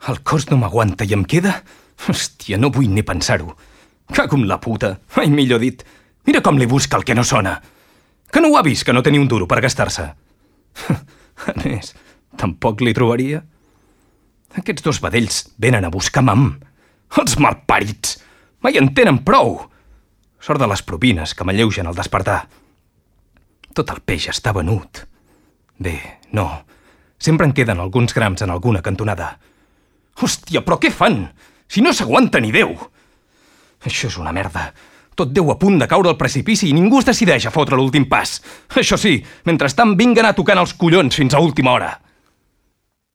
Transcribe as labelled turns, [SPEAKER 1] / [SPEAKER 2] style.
[SPEAKER 1] El cos no m'aguanta i em queda... Hòstia, no vull ni pensar-ho. Cago en la puta. Ai, millor dit. Mira com li busca el que no sona. Que no ho ha vist, que no tenia un duro per gastar-se. A més, tampoc li trobaria. Aquests dos vedells venen a buscar mam. Els malparits. Mai en tenen prou. Sort de les propines que m'alleugen al despertar. Tot el peix està venut. Bé, no. Sempre en queden alguns grams en alguna cantonada. Hòstia, però què fan? Si no s'aguanta ni Déu! Això és una merda. Tot Déu a punt de caure al precipici i ningú es decideix a fotre l'últim pas. Això sí, mentrestant vinguen a tocant els collons fins a última hora.